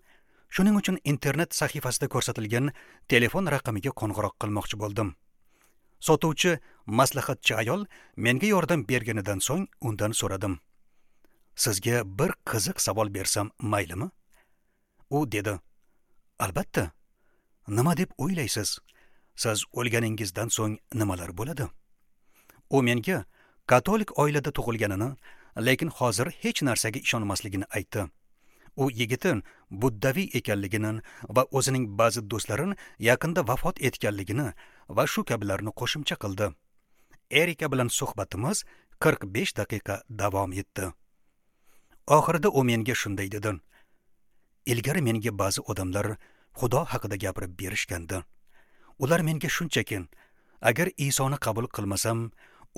[SPEAKER 1] Shuning uchun internet sahifasida ko'rsatilgan telefon raqamiga qo'ng'iroq qilmoqchi bo'ldim. Sotuvchi maslahatchi ayol menga yordam berganidan so'ng undan so'radim. Sizga bir qiziq savol bersam maylimi? U dedi: "Albatta. Nima deb o'ylaysiz? Siz o'lganingizdan so'ng nimalar bo'ladi?" U menga katolik oilada tug'ilganini, lekin hozir hech narsaga ishonmasligini aytdi. U yigitin buddaviy ekanligini va o'zining ba'zi do'stlarini yaqinda vafot etganligini va shu kabilarni qo'shimcha qildi. Erika bilan suhbatimiz 45 daqiqa davom etdi. Oxirida u menga shunday dedi: "Ilgari menga ba'zi odamlar Xudo haqida gapirib berishgandi. Ular menga shunchaki, agar Isoni qabul qilmasam,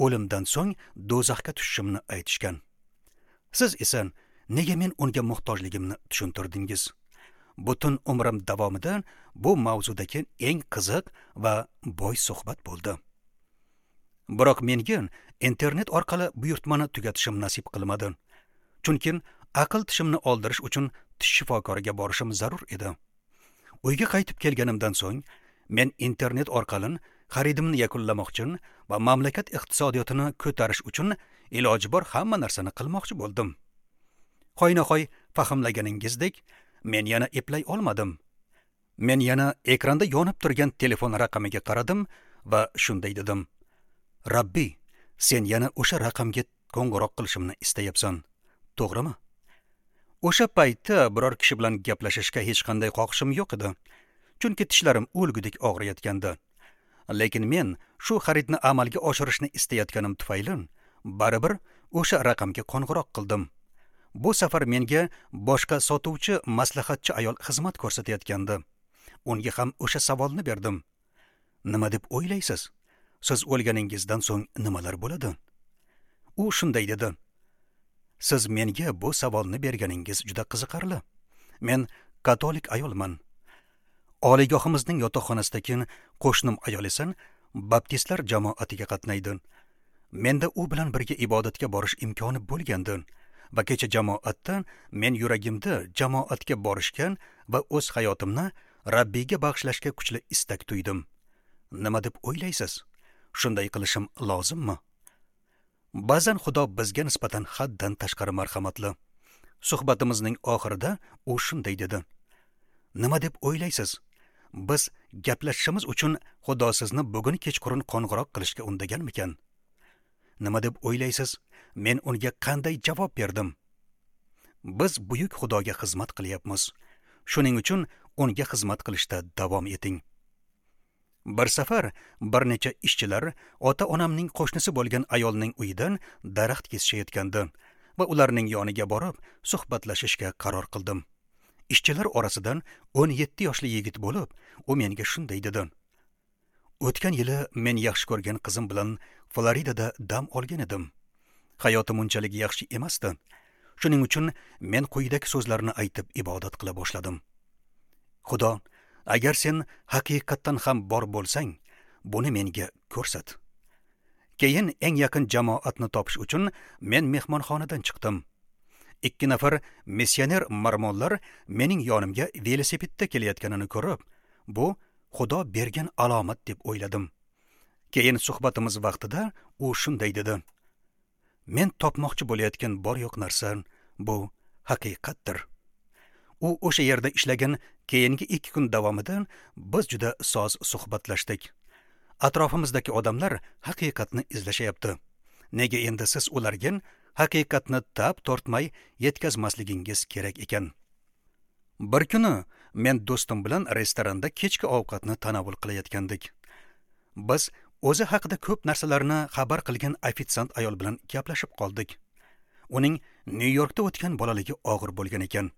[SPEAKER 1] o'limdan so'ng do'zaxga tushishimni aytishgan. Siz esa nega men unga muhtojligimni tushuntirdingiz? Butun umrim davomida bu mavzudagi eng qiziq va boy suhbat bo'ldi. Biroq menga internet orqali buyurtmani tugatishim nasib qilmadi. Chunki aql tishimni oldirish uchun tish shifokoriga borishim zarur edi. Uyga qaytib kelganimdan so'ng men internet orqali xaridimni yakunlamoqchi va mamlakat iqtisodiyotini ko'tarish uchun iloji bor hamma narsani qilmoqchi bo'ldim. Hoynahoy fahmlaganingizdek, men yana eplay olmadim. Men yana ekranda yonib turgan telefon raqamiga qaradim va shunday dedim: Rabbiy, sen yana o'sha raqamga qo'ng'iroq qilishimni istayapsan, to'g'rimi? O'sha paytda biror kishi bilan gaplashishga hech qanday xohishim yo'q edi, chunki tishlarim o'lgudek og'riyotgandi. Lekin men shu xaridni amalga oshirishni istayotganim tufayli baribir o'sha raqamga qo'ng'iroq qildim. Bu safar menga boshqa sotuvchi maslahatchi ayol xizmat ko'rsatayotgandi. Unga ham o'sha savolni berdim. Nima deb o'ylaysiz? Siz o'lganingizdan so'ng nimalar bo'ladi? U shunday dedi: Siz menga bu savolni berganingiz juda qiziqarli. Men katolik ayolman. Oliygohimizning yotoqxonasidagi qo'shnim ayol esa baptistlar jamoatiga qatnaydi. Menda u bilan birga ibodatga borish imkoni bo'lgandi va kecha jamoatda men yuragimda jamoatga borishga va o'z hayotimni Rabbiyga bag'ishlashga kuchli istak tuydim. Nima deb o'ylaysiz? Shunday qilishim lozimmi? Ba'zan Xudo bizga nisbatan haddan tashqari marhamatli. Suhbatimizning oxirida u shunday dedi: Nima deb o'ylaysiz? Biz gaplashishimiz uchun Xudo sizni bugun kechqurun qo'ng'iroq qilishga undaganmikan? Nima deb o'ylaysiz? Men unga qanday javob berdim? Biz buyuk Xudoga xizmat qilyapmiz. Shuning uchun unga xizmat qilishda davom eting. Bir safar bir necha ishchilar ota-onamning qo'shnisi bo'lgan ayolning uyidan daraxt kesishayotgandi va ularning yoniga borib suhbatlashishga qaror qildim. Ishchilar orasidan 17 yoshli yigit bo'lib, u menga shunday dedi: O'tgan yili men yaxshi ko'rgan qizim bilan Floridada dam olgan edim. Hayotim unchalik yaxshi emasdi. Shuning uchun men quyidagi so'zlarni aytib ibodat qila boshladim. Xudo, agar sen haqiqatdan ham bor bo'lsang, buni menga ko'rsat. Keyin eng yaqin jamoatni topish uchun men mehmonxonadan chiqdim. 2 nafar missioner mormonlar mening yonimga velosipedda kelayotganini ko'rib, bu Xudo bergan alomat deb o'yladim. Keyin suhbatimiz vaqtida u shunday dedi: Men topmoqchi bo'layotgan bor yo'q narsa bu haqiqatdir. U o'sha yerda ishlagan keyingi 2 kun davomida biz juda soz suhbatlashdik. Atrofimizdagi odamlar haqiqatni izlashayapti. Nega endi siz ularga haqiqatni tap tortmay yetkazmasligingiz kerak ekan? Bir kuni men do'stim bilan restoranda kechki ovqatni tanovul qilayotgandik. Biz o'zi haqida ko'p narsalarni xabar qilgan ofitsiant ayol bilan gaplashib qoldik. Uning Nyu-Yorkda o'tgan bolaligi og'ir bo'lgan ekan.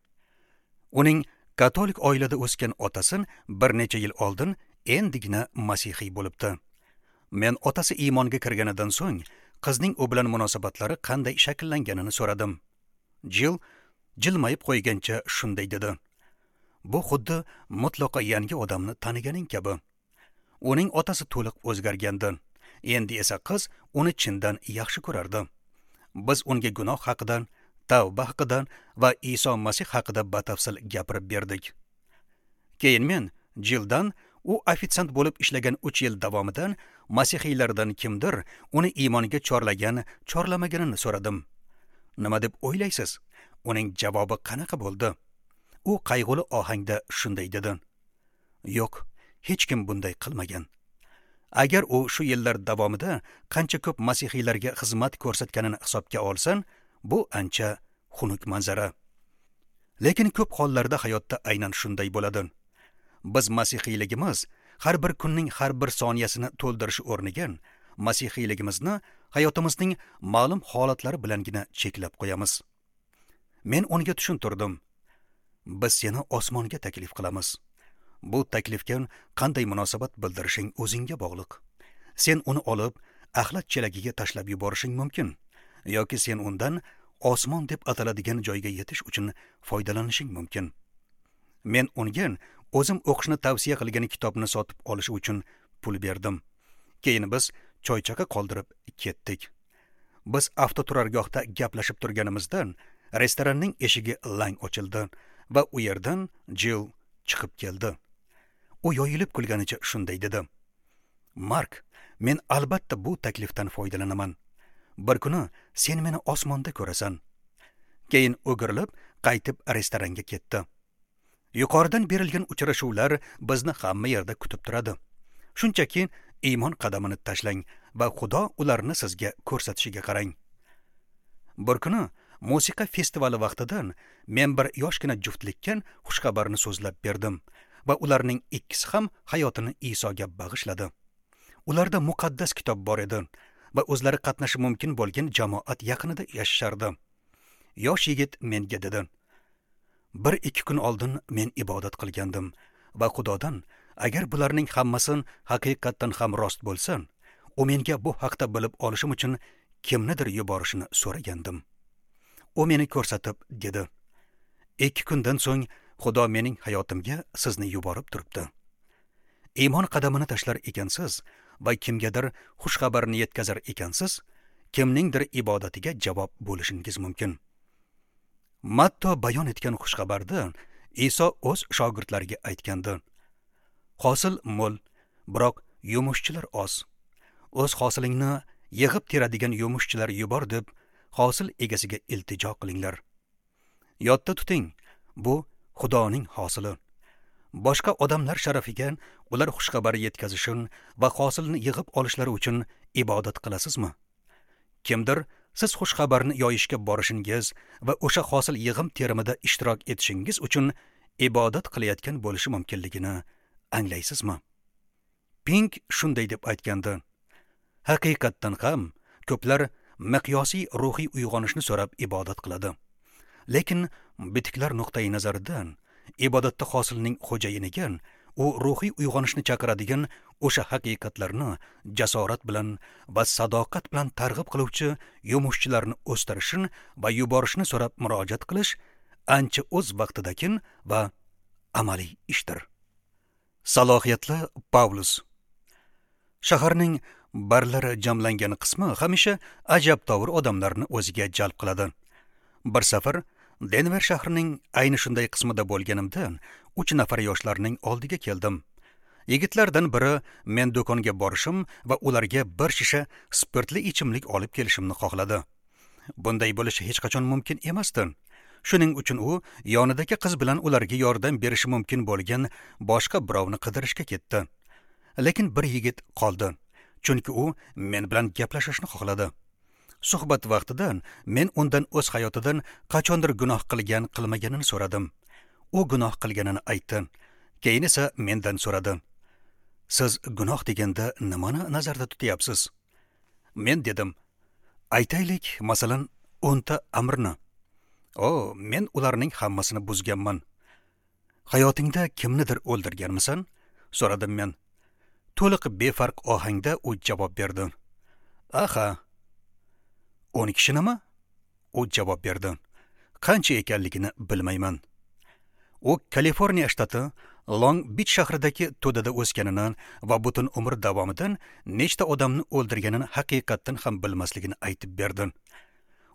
[SPEAKER 1] Uning katolik oilada o'sgan otasi bir necha yil oldin endigina masihiy bo'libdi. Men otasi iymonga kirganidan so'ng qizning u bilan munosabatlari qanday shakllanganini so'radim. Jill jilmayib qo'ygancha shunday dedi: Bu xuddi mutlaqo yangi odamni taniganing kabi. Uning otasi to'liq o'zgargandi. Endi esa qiz uni chindan yaxshi ko'rardi. Biz unga gunoh haqida, tavba haqida va Iso Masih haqida batafsil gapirib berdik. Keyin men Jilldan u ofitsiant bo'lib ishlagan 3 yil davomida masihiylardan kimdir uni iymonga chorlagan, chorlamaganini so'radim. Nima deb o'ylaysiz? Uning javobi qanaqa bo'ldi? U qayg'uli ohangda shunday dedi: Yo'q, hech kim bunday qilmagan. Agar u shu yillar davomida qancha ko'p masihiylarga xizmat ko'rsatganini hisobga olsan, bu ancha xunuk manzara. Lekin ko'p hollarda hayotda aynan shunday bo'ladi. Biz masihiyligimiz har bir kunning har bir soniyasini to'ldirish o'rniga masihiyligimizni hayotimizning ma'lum holatlari bilangina cheklab qo'yamiz. Men unga tushuntirdim. Biz seni osmonga taklif qilamiz. Bu taklifga qanday munosabat bildirishing o'zingga bog'liq. Sen uni olib, axlat chelagiga tashlab yuborishing mumkin yoki sen undan osmon deb ataladigan joyga yetish uchun foydalanishing mumkin. Men unga o'zim o'qishni tavsiya qilgan kitobni sotib olish uchun pul berdim. Keyin biz choychaqa qoldirib ketdik. Biz avtoturargohda gaplashib turganimizdan restoranning eshigi lang ochildi va u yerdan Jill chiqib keldi. U yoyilib kulganicha shunday dedi: Mark, men albatta bu taklifdan foydalanaman. Bir kuni sen meni osmonda ko'rasan. Keyin o'girilib, qaytib restoranga ketdi. Yuqoridan berilgan uchrashuvlar bizni hamma yerda kutib turadi. Shunchaki iymon qadamini tashlang va Xudo ularni sizga ko'rsatishiga qarang. Bir kuni musiqa festivali vaqtidan men bir yoshgina juftlikka xushxabarni so'zlab berdim va ularning ikkisi ham hayotini Isoga bag'ishladi. Ularda muqaddas kitob bor edi va o'zlari qatnashi mumkin bo'lgan jamoat yaqinida yashashardi. Yosh yigit menga dedi: "1-2 kun oldin men ibodat qilgandim va Xudodan agar bularning hammasi haqiqatdan ham rost bo'lsa, u menga bu haqda bilib olishim uchun kimnidir yuborishini so'ragandim. U meni ko'rsatib dedi: 2 kundan so'ng Xudo mening hayotimga sizni yuborib turibdi. Iymon qadamini tashlar ekansiz va kimgadir xush xabarni yetkazar ekansiz, kimningdir ibodatiga javob bo'lishingiz mumkin." Matto bayon etgan xush xabarda Iso o'z shogirdlariga aytgandi: "Hosil mo'l, biroq yumushchilar oz. O'z hosilingni yig'ib teradigan yumushchilar yubor deb hosil egasiga iltijo qilinglar." Yodda tuting, bu Xudoning hosili. Boshqa odamlar sharafiga ular xushxabar yetkazishin va hosilni yig'ib olishlari uchun ibodat qilasizmi? Kimdir siz xushxabarni yoyishga borishingiz va o'sha hosil yig'im terimida ishtirok etishingiz uchun ibodat qilayotgan bo'lishi mumkinligini anglaysizmi? Pink shunday deb aytgandi: "Haqiqatdan ham ko'plar miqyosiy ruhiy uyg'onishni so'rab ibodat qiladi. Lekin bitiklar nuqtai nazaridan ibodatda hosilning xo'jayiniga u ruhiy uyg'onishni chaqiradigan o'sha haqiqatlarni jasorat bilan va sadoqat bilan targ'ib qiluvchi yumushchilarni o'stirishni va yuborishni so'rab murojaat qilish ancha o'z vaqtidakin va amaliy ishdir." Salohiyatli Pavlus. Shaharning barlar jamlangan qismi hamisha ajabtovur odamlarni o'ziga jalb qiladi. Bir safar Denver shahrining ayni shunday qismida bo'lganimda 3 nafar yoshlarning oldiga keldim. Yigitlardan biri men do'konga borishim va ularga bir shisha spirtli ichimlik olib kelishimni xohladi. Bunday bo'lishi hech qachon mumkin emasdi. Shuning uchun u yonidagi qiz bilan ularga yordam berishi mumkin bo'lgan boshqa birovni qidirishga ketdi. Lekin bir yigit qoldi, chunki u men bilan gaplashishni xohladi. Suhbat vaqtida men undan o'z hayotidan qachondir gunoh qilgan qilmaganini so'radim. U gunoh qilganini aytdi. Keyin esa mendan so'radi: "Siz gunoh deganda nimani nazarda tutyapsiz?" Men dedim: "Aytaylik, masalan, 10 ta amrni." "O, men ularning hammasini buzganman." "Hayotingda kimnidir o'ldirganmisan?" so'radim men. To'liq befarq ohangda u javob berdi: "Aha." 10 kishinimi? U javob berdi: "Qancha ekanligini bilmayman." U Kaliforniya shtati Long Beach shahridagi to'dada o'sganini va butun umr davomida nechta odamni o'ldirganini haqiqatdan ham bilmasligini aytib berdi.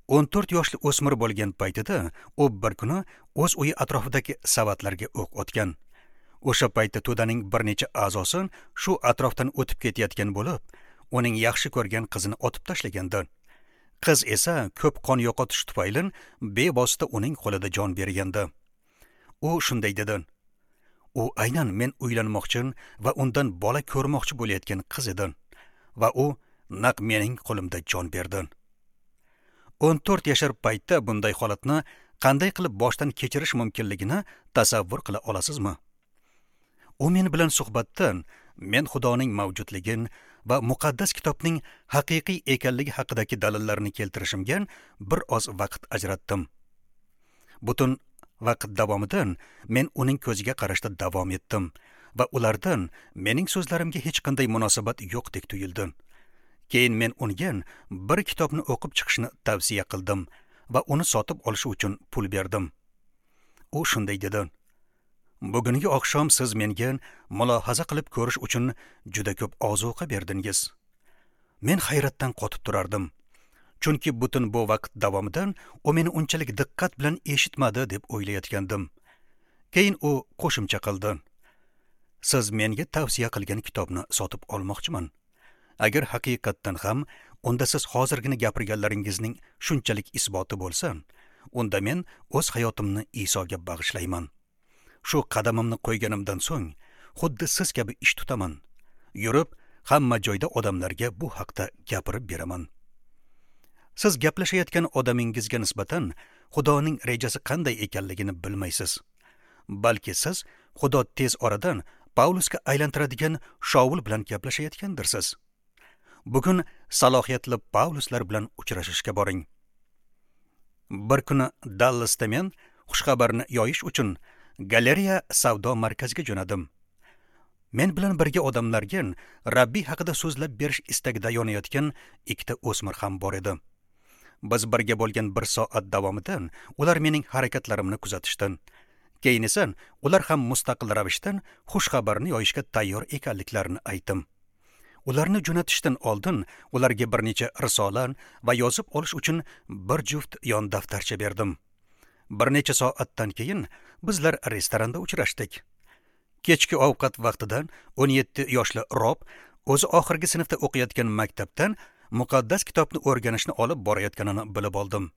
[SPEAKER 1] 14 yoshli o'smir bo'lgan paytida u bir kuni o'z uyi atrofidagi savatlarga o'q otgan. O'sha paytda to'daning bir necha a'zosi shu atrofdan o'tib ketayotgan bo'lib, uning yaxshi ko'rgan qizini otib tashlagandi. Qiz esa ko'p qon yo'qotish tufayli bevosita uning qo'lida jon bergandi. U shunday dedi: "U aynan men uylanmoqchi va undan bola ko'rmoqchi bo'layotgan qiz edi va u naq mening qo'limda jon berdi." 14 yashar paytda bunday holatni qanday qilib boshdan kechirish mumkinligini tasavvur qila olasizmi? U men bilan suhbatda men Xudoning mavjudligini va muqaddas kitobning haqiqiy ekanligi haqidagi dalillarni keltirishimga bir oz vaqt ajratdim. Butun vaqt davomida men uning ko'ziga qarashda davom etdim va ulardan mening so'zlarimga hech qanday munosabat yo'qdek tuyuldi. Keyin men unga bir kitobni o'qib chiqishni tavsiya qildim va uni sotib olishi uchun pul berdim. U shunday dedi: "Bugungi oqshom siz menga mulohaza qilib ko'rish uchun juda ko'p ozuqa berdingiz." Men hayratdan qotib turardim. Chunki butun bu vaqt davomida u meni unchalik diqqat bilan eshitmadi deb o'ylayotgandim. Keyin u qo'shimcha qildi: "Siz menga tavsiya qilgan kitobni sotib olmoqchiman. Agar haqiqatdan ham unda siz hozirgina gapirganlaringizning shunchalik isboti bo'lsa, Unda men o'z hayotimni Isoga bag'ishlayman. Shu qadamimni qo'yganimdan so'ng xuddi siz kabi ish tutaman. Yurib, hamma joyda odamlarga bu haqda gapirib beraman. Siz gaplashayotgan odamingizga nisbatan Xudoning rejasi qanday ekanligini bilmaysiz. Balki siz Xudo tez oradan Pavlusga aylantiradigan Shaul bilan gaplashayotgandirsiz. Bugun salohiyatli Pavluslar bilan uchrashishga boring. Bir kuni Dallasda men xushxabarni yoyish uchun galereya savdo markaziga jo'nadim. Men bilan birga odamlarga Rabbiy haqida so'zlab berish istagida yonayotgan ikkita o'smir ham bor edi. Biz birga bo'lgan bir soat davomida ular mening harakatlarimni kuzatishdi. Keyin esa ular ham mustaqil ravishda xushxabarni yoyishga tayyor ekanliklarini aytdim. Ularni jo'natishdan oldin ularga bir necha risola va yozib olish uchun bir juft yon daftarcha berdim. Bir necha soatdan keyin bizlar restoranda uchrashdik. Kechki ovqat vaqtida 17 yoshli Rob o'zi oxirgi sinfda o'qiyotgan maktabdan muqaddas kitobni o'rganishni olib borayotganini bilib oldim.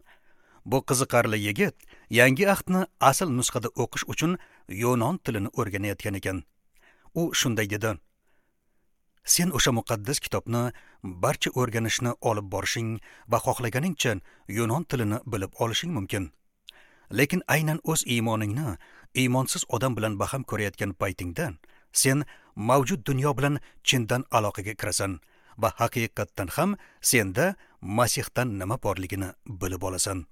[SPEAKER 1] Bu qiziqarli yigit yangi ahdni asl nusxada o'qish uchun yunon tilini o'rganayotgan ekan. U shunday dedi: "Sen o'sha muqaddas kitobni barcha o'rganishni olib borishing va xohlaganingcha yunon tilini bilib olishing mumkin. Lekin aynan o'z iymoningni iymonsiz odam bilan baham ko'rayotgan paytingda sen mavjud dunyo bilan chindan aloqaga kirasan va haqiqatdan ham senda Masihdan nima borligini bilib olasan."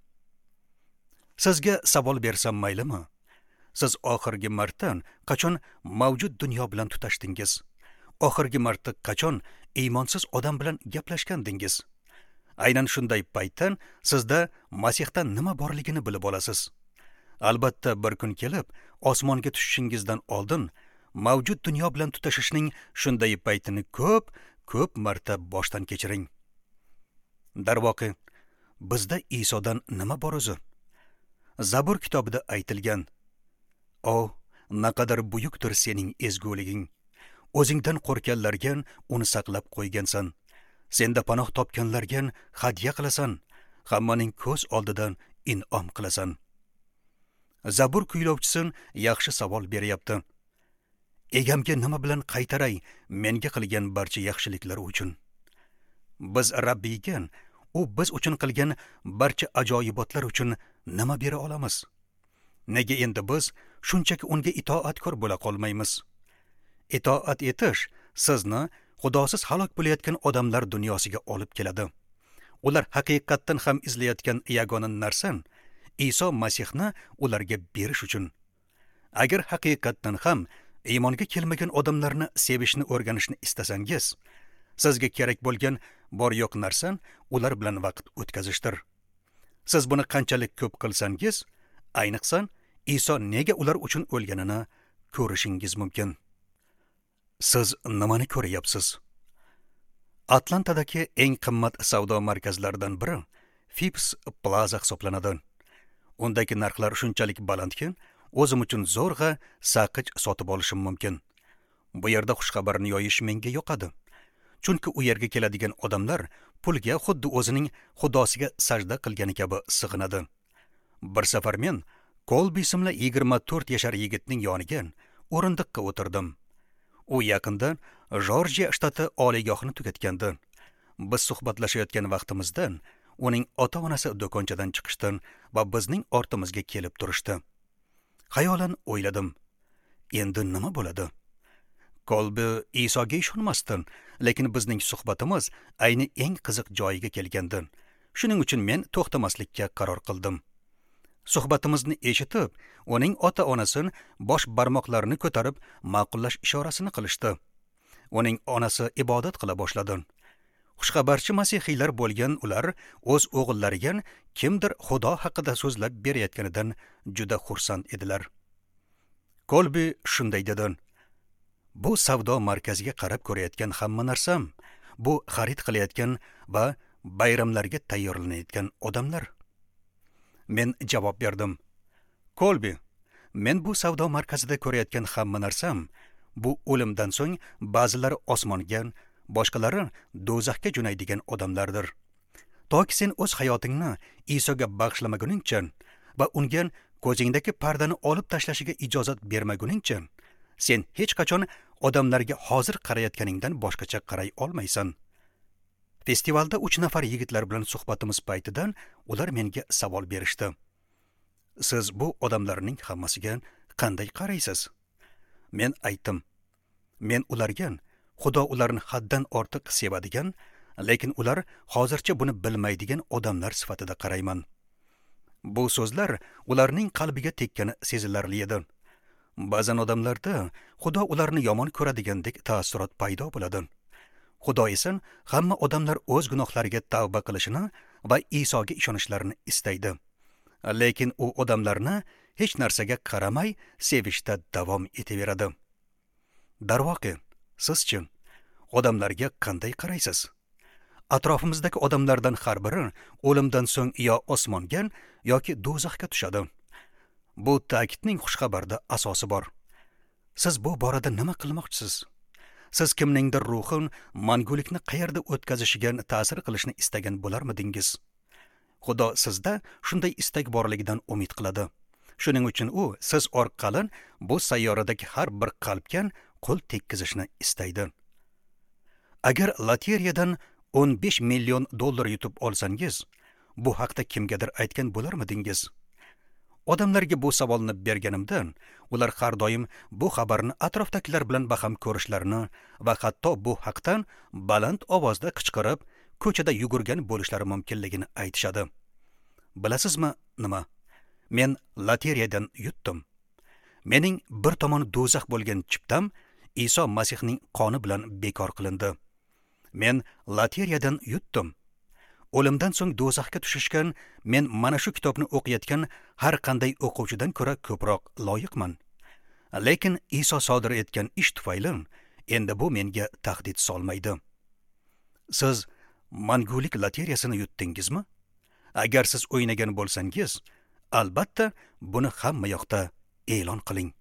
[SPEAKER 1] Sizga savol bersam maylimi? Siz oxirgi marta qachon mavjud dunyo bilan tutashdingiz? Oxirgi marta qachon iymonsiz odam bilan gaplashgandingiz? Aynan shunday paytdan sizda Masihdan nima borligini bilib olasiz. Albatta bir kun kelib osmonga tushishingizdan oldin mavjud dunyo bilan tutashishning shunday paytini ko'p marta boshdan kechiring. Darvoqe, bizda Isodan nima bor o'zi? Zabur kitobida aytilgan: "O, naqadar buyukdir sening ezguliging. O'zingdan qo'rkanlarga uni saqlab qo'ygansan. Senda panoh topganlarga hadya qilasan, hammaning ko'z oldidan in'om qilasan." Zabur kuylovchisi yaxshi savol beryapti. Egamga nima bilan qaytaray menga qilgan barcha yaxshiliklari uchun? Biz Rabbiyga u biz uchun qilgan barcha ajoyibotlar uchun nima bera olamiz? Nega endi biz shunchaki unga itoatkor bo'la qolmaymiz? Itoat etish sizni Xudosiz halok bo'layotgan odamlar dunyosiga olib keladi. Ular haqiqatdan ham izlayotgan yagona narsa Iso Masihni ularga berish uchun. Agar haqiqatdan ham iymonga kelmagan odamlarni sevishni o'rganishni istasangiz, sizga kerak bo'lgan bor yo'q narsa ular bilan vaqt o'tkazishdir. Siz buni qanchalik ko'p qilsangiz, ayniqsa Iso nega ular uchun o'lganini ko'rishingiz mumkin. Siz nimani ko'ryapsiz? Atlantadagi eng qimmat savdo markazlaridan biri Phipps Plaza hisoblanadi. Undagi narxlar shunchalik balandki, o'zim uchun zo'rg'a saqich sotib olishim mumkin. Bu yerda xushxabarni yoyish menga yoqadi. Chunki u yerga keladigan odamlar pulga xuddi o'zining xudosiga sajda qilgani kabi sig'inadi. Bir safar men Kolbi ismli 24 yashar yigitning yoniga o'rindiqqa o'tirdim. U yaqinda Jorjiya shtati oliygohini tugatgandi. Biz suhbatlashayotgan vaqtimizda uning ota-onasi do'konchadan chiqishdi va bizning ortimizga kelib turishdi. Xayolan o'yladim: endi nima bo'ladi? Kolbi Isoga ishonmasdi, lekin bizning suhbatimiz ayni eng qiziq joyiga kelgandi. Shuning uchun men to'xtamaslikka qaror qildim. Suhbatimizni eshitib, uning ota-onasi bosh barmoqlarini ko'tarib ma'qullash ishorasini qilishdi. Uning onasi ibodat qila boshladi. Xushxabarchi masihiylar bo'lgan ular o'z o'g'illariga kimdir Xudo haqida so'zlab berayotganidan juda xursand edilar. Kolbi shunday dedi: "Bu savdo markaziga qarab ko'rayotgan hamma narsam, bu xarid qilayotgan va bayramlarga tayyorlanayotgan odamlar." Men javob berdim: "Kolbi, men bu savdo markazida ko'rayotgan hamma narsam, bu o'limdan so'ng ba'zilari osmonga, boshqalari do'zaxga jo'naydigan odamlardir. Toki sen o'z hayotingni Isoga bag'ishlamaguningcha, va unga ko'zingdagi pardani olib tashlashiga ijozat bermaguningcha, sen hech qachon odamlarga hozir qarayotganingdan boshqacha qaray olmaysan. Festivalda 3 nafar yigitlar bilan suhbatimiz paytidan ular menga savol berishdi. Siz bu odamlarning hammasiga qanday qaraysiz? Men aytdim. Men ularga Xudo ularni haddan ortiq sevadigan, lekin ular hozircha buni bilmaydigan odamlar sifatida qarayman. Bu so'zlar ularning qalbiga tekkani sezilarli edi. Ba'zan odamlarda Xudo ularni yomon ko'radigandek taassurot paydo bo'ladi. Xudo esa hamma odamlar o'z gunohlariga tavba qilishini va Isoga ishonishlarini istaydi. Lekin u odamlarni hech narsaga qaramay sevishda davom etaveradi. Darvoqe, sizchi odamlarga qanday qaraysiz? Atrofimizdagi odamlardan har biri o'limdan so'ng yo osmonga yoki do'zaxga tushadi. Bu ta'kidning xushxabarda asosi bor. Siz bu borada nima qilmoqchisiz? Siz kimningdir ruhin mangulikni qayerda o'tkazishiga ta'sir qilishni istagan bo'larmidingiz? Xudo sizda shunday istak borligidan umid qiladi. Shuning uchun u siz orqali bu sayyoradagi har bir qalbga qo'l tekkizishni istaydi. Agar loteriyadan 15 million dollar yutib olsangiz, bu haqda kimgadir aytgan bo'larmidingiz? Odamlarga bu savolni berganimda, ular har doim bu xabarni atrofdagilar bilan baham ko'rishlarini va hatto bu haqdan baland ovozda qichqirib, ko'chada yugurgan bo'lishlari mumkinligini aytishadi. Bilasizmi nima? Men loteriyadan yutdim. Mening bir tomoni do'zax bo'lgan chiptam Iso Masihning qoni bilan bekor qilindi. Men loteriyadan yutdim. O'limdan so'ng do'zaxga tushishgan men mana shu kitobni o'qiyotgan har qanday o'quvchidan ko'ra ko'proq loyiqman. Lekin Iso sodir etgan ish tufayli endi bu menga tahdid solmaydi. Siz mangulik loteriyasini yutdingizmi? Agar siz o'ynagan bo'lsangiz, albatta buni hamma yoqda e'lon qiling.